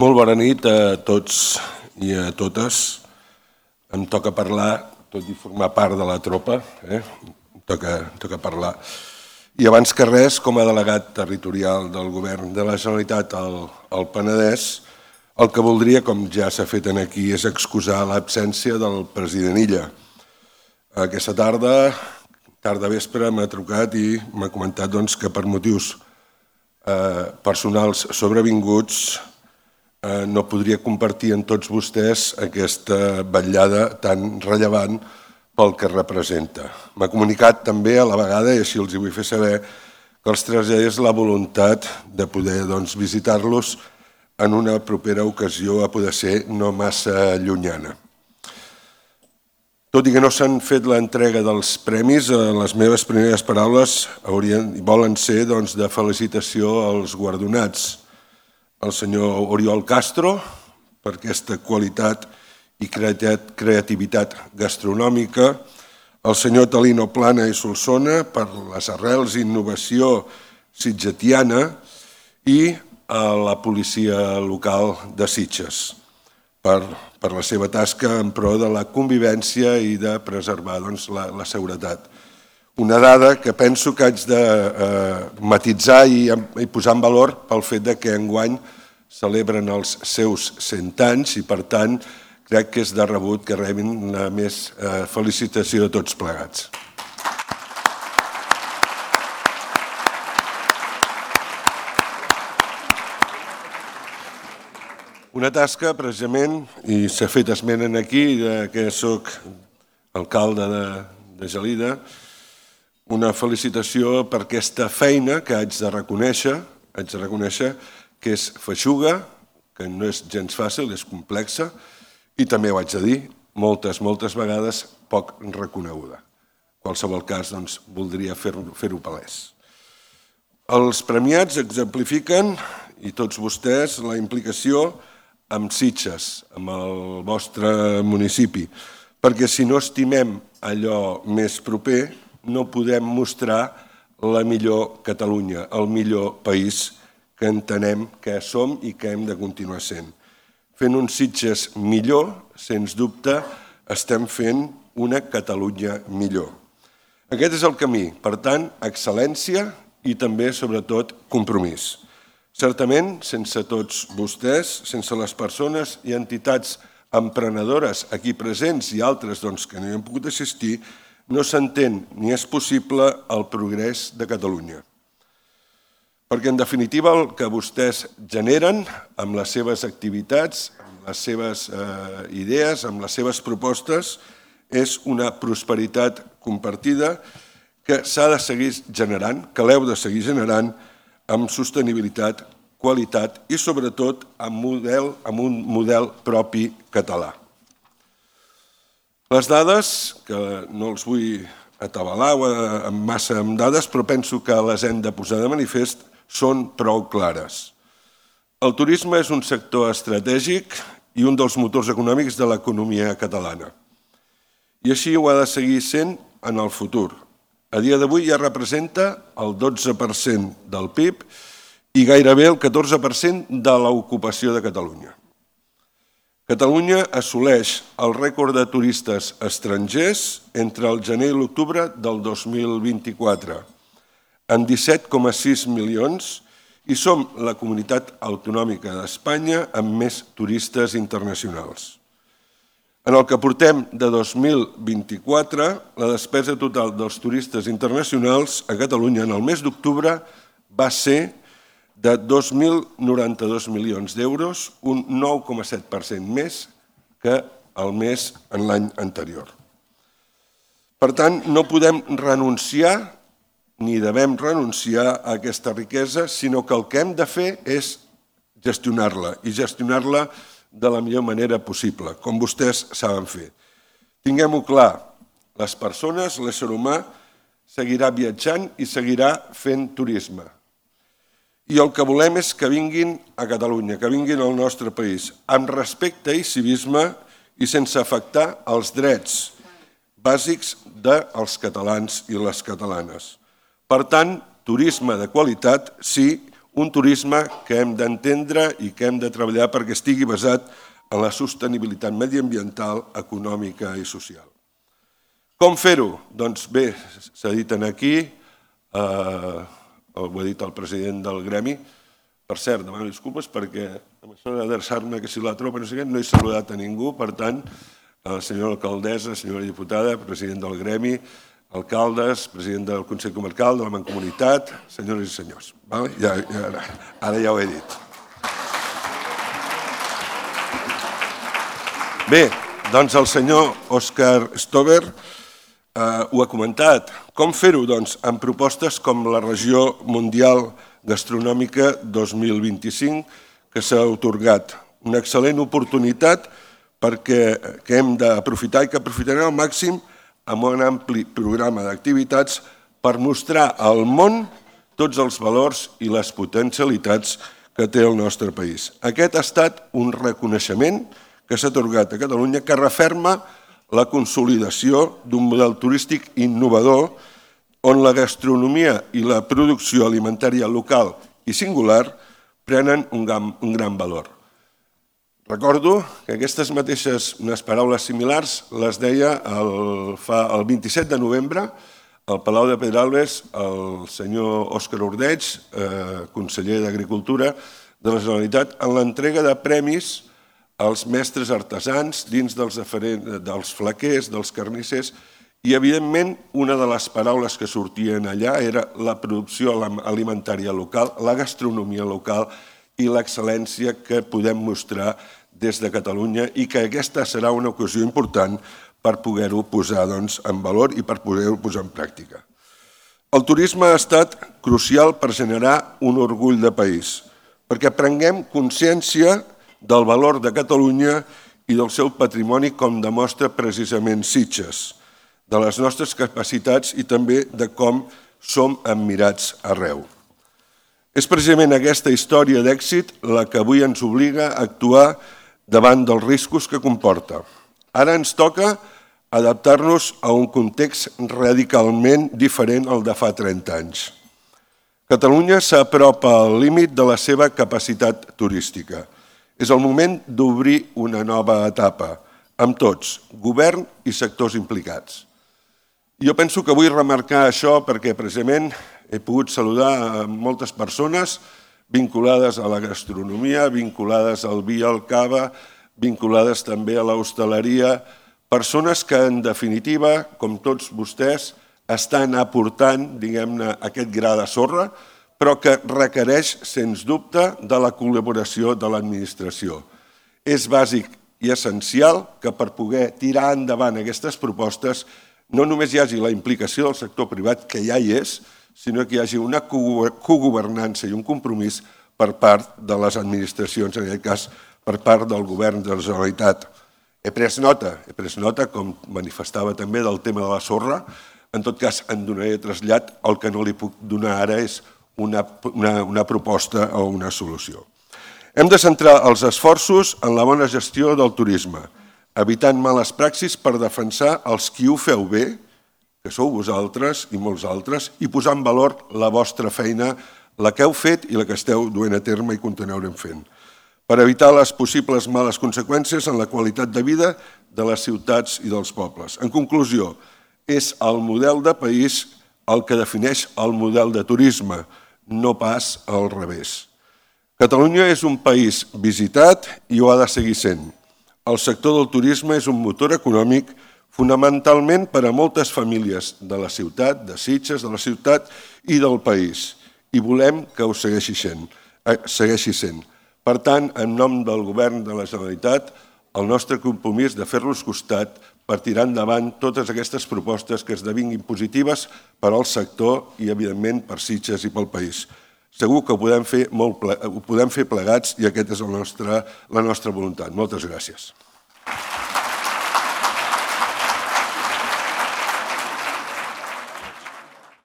Molt bona nit a tots i a totes. Em toca parlar, tot i formar part de la tropa, em toca parlar. I abans que res, com a delegat territorial del Govern de la Generalitat al Penedès, el que voldria, com ja s'ha fet aquí, és excusar l'absència del president Illa. Aquesta tarda vespre, m'ha trucat i m'ha comentat que per motius personals sobrevinguts no podria compartir amb tots vostès aquesta vetllada tan rellevant pel que representa. M'ha comunicat també a la vegada, i així els hi vull fer saber, que els traslladés la voluntat de poder visitar-los en una propera ocasió, a poder ser no massa llunyana. Tot i que no s'han fet l'entrega dels premis, les meves primeres paraules volen ser de felicitació als guardonats. El senyor Oriol Castro, per aquesta qualitat i creativitat gastronòmica, el senyor Talino Plana i Solsona, per les arrels i innovació sitgetiana, i a la policia local de Sitges, per la seva tasca en pro de la convivència i de preservar la seguretat. Una dada que penso que haig de matitzar i posar en valor pel fet que enguany celebren els seus 100 anys i, per tant, crec que és de rebut que rebin la més felicitació de tots plegats. Una tasca, precisament, i s'ha fet esment aquí, que soc alcalde de Gelida, una felicitació per aquesta feina que haig de reconèixer, que és feixuga, que no és gens fàcil, és complexa, i també ho haig de dir, moltes vegades poc reconeguda. En qualsevol cas, voldria fer-ho palès. Els premiats exemplifiquen, i tots vostès, la implicació amb Sitges, amb el vostre municipi, perquè si no estimem allò més proper, no podem mostrar la millor Catalunya, el millor país que entenem que som i que hem de continuar sent. Fent un Sitges millor, sens dubte, estem fent una Catalunya millor. Aquest és el camí, per tant, excel·lència i també, sobretot, compromís. Certament, sense tots vostès, sense les persones i entitats emprenedores aquí presents i altres que no hi han pogut assistir, no s'entén ni és possible el progrés de Catalunya. Perquè, en definitiva, el que vostès generen amb les seves activitats, amb les seves idees, amb les seves propostes, és una prosperitat compartida que s'ha de seguir generant, que l'heu de seguir generant, amb sostenibilitat, qualitat i, sobretot, amb un model propi català. Les dades, que no els vull atabalar massa amb dades, però penso que les hem de posar de manifest, són prou clares. El turisme és un sector estratègic i un dels motors econòmics de l'economia catalana. I així ho ha de seguir sent en el futur. A dia d'avui ja representa el 12% del PIB i gairebé el 14% de l'ocupació de Catalunya. Catalunya assoleix el rècord de turistes estrangers entre el gener i l'octubre del 2024, en 17,6 milions, i som la comunitat autonòmica d'Espanya amb més turistes internacionals. En el que portem de 2024, la despesa total dels turistes internacionals a Catalunya en el mes d'octubre va ser de 2.092 milions d'euros, un 9,7% més que el mes en l'any anterior. Per tant, no podem renunciar ni devem renunciar a aquesta riquesa, sinó que el que hem de fer és gestionar-la i gestionar-la de la millor manera possible, com vostès saben fer. Tinguem-ho clar, les persones, l'ésser humà, seguirà viatjant i seguirà fent turisme. I el que volem és que vinguin a Catalunya, que vinguin al nostre país, amb respecte i civisme i sense afectar els drets bàsics dels catalans i les catalanes. Per tant, turisme de qualitat, sí, un turisme que hem d'entendre i que hem de treballar perquè estigui basat en la sostenibilitat mediambiental, econòmica i social. Com fer-ho? Doncs bé, s'ha dit aquí, ho ha dit el president del gremi. Per cert, demano disculpes perquè amb això d'adreçar-me que si la tropa no sé què, no he saludat a ningú, per tant, la senyora alcaldessa, senyora diputada, president del gremi, alcaldes, president del Consell Comarcal, de la Mancomunitat, senyores i senyors. Ara ja ho he dit. Bé, doncs el senyor Òscar Stover ho ha comentat. Com fer-ho? Doncs amb propostes com la Regió Mundial Gastronòmica 2025 que s'ha atorgat. Una excel·lent oportunitat que hem d'aprofitar i que aprofitarem al màxim amb un ampli programa d'activitats per mostrar al món tots els valors i les potencialitats que té el nostre país. Aquest ha estat un reconeixement que s'ha atorgat a Catalunya que referma la consolidació d'un model turístic innovador on la gastronomia i la producció alimentària local i singular prenen un gran valor. Recordo que aquestes mateixes, unes paraules similars, les deia el 27 de novembre al Palau de Pedralbes el senyor Òscar Ordeig, conseller d'Agricultura de la Generalitat, en l'entrega de premis als mestres artesans dins dels flaquers, dels carnissers, i evidentment una de les paraules que sortien allà era la producció alimentària local, la gastronomia local i l'excel·lència que podem mostrar des de Catalunya i que aquesta serà una ocasió important per poder-ho posar en valor i per poder-ho posar en pràctica. El turisme ha estat crucial per generar un orgull de país, perquè prenguem consciència del valor de Catalunya i del seu patrimoni com demostra precisament Sitges, de les nostres capacitats i també de com som admirats arreu. És precisament aquesta història d'èxit la que avui ens obliga a actuar davant dels riscos que comporta. Ara ens toca adaptar-nos a un context radicalment diferent al de fa 30 anys. Catalunya s'apropa al límit de la seva capacitat turística. És el moment d'obrir una nova etapa, amb tots, govern i sectors implicats. Jo penso que vull remarcar això perquè precisament he pogut saludar moltes persones vinculades a la gastronomia, vinculades al vi i al cava, vinculades també a l'hostaleria, persones que en definitiva, com tots vostès, estan aportant, diguem-ne, aquest gra de sorra, però que requereix, sens dubte, de la col·laboració de l'administració. És bàsic i essencial que per poder tirar endavant aquestes propostes no només hi hagi la implicació del sector privat, que ja hi és, sinó que hi hagi una cogovernança i un compromís per part de les administracions, en aquest cas per part del govern de la Generalitat. He pres nota, com manifestava també, del tema de la sorra. En tot cas, en donaré trasllat. El que no li puc donar ara és una proposta o una solució. Hem de centrar els esforços en la bona gestió del turisme, evitant males praxis per defensar els qui ho feu bé, que sou vosaltres i molts altres, i posar en valor la vostra feina, la que heu fet i la que esteu duent a terme i continuarem fent, per evitar les possibles males conseqüències en la qualitat de vida de les ciutats i dels pobles. En conclusió, és el model de país el que defineix el model de turisme, no pas al revés. Catalunya és un país visitat i ho ha de seguir sent. El sector del turisme és un motor econòmic fonamentalment per a moltes famílies de la ciutat, de Sitges, de la ciutat i del país. I volem que ho segueixi sent. Per tant, en nom del Govern de la Generalitat, el nostre compromís de fer-los costat per tirar endavant totes aquestes propostes que esdevinguin positives per al sector i, evidentment, per Sitges i pel país. Segur que ho podem fer plegats i aquesta és la nostra voluntat. Moltes gràcies.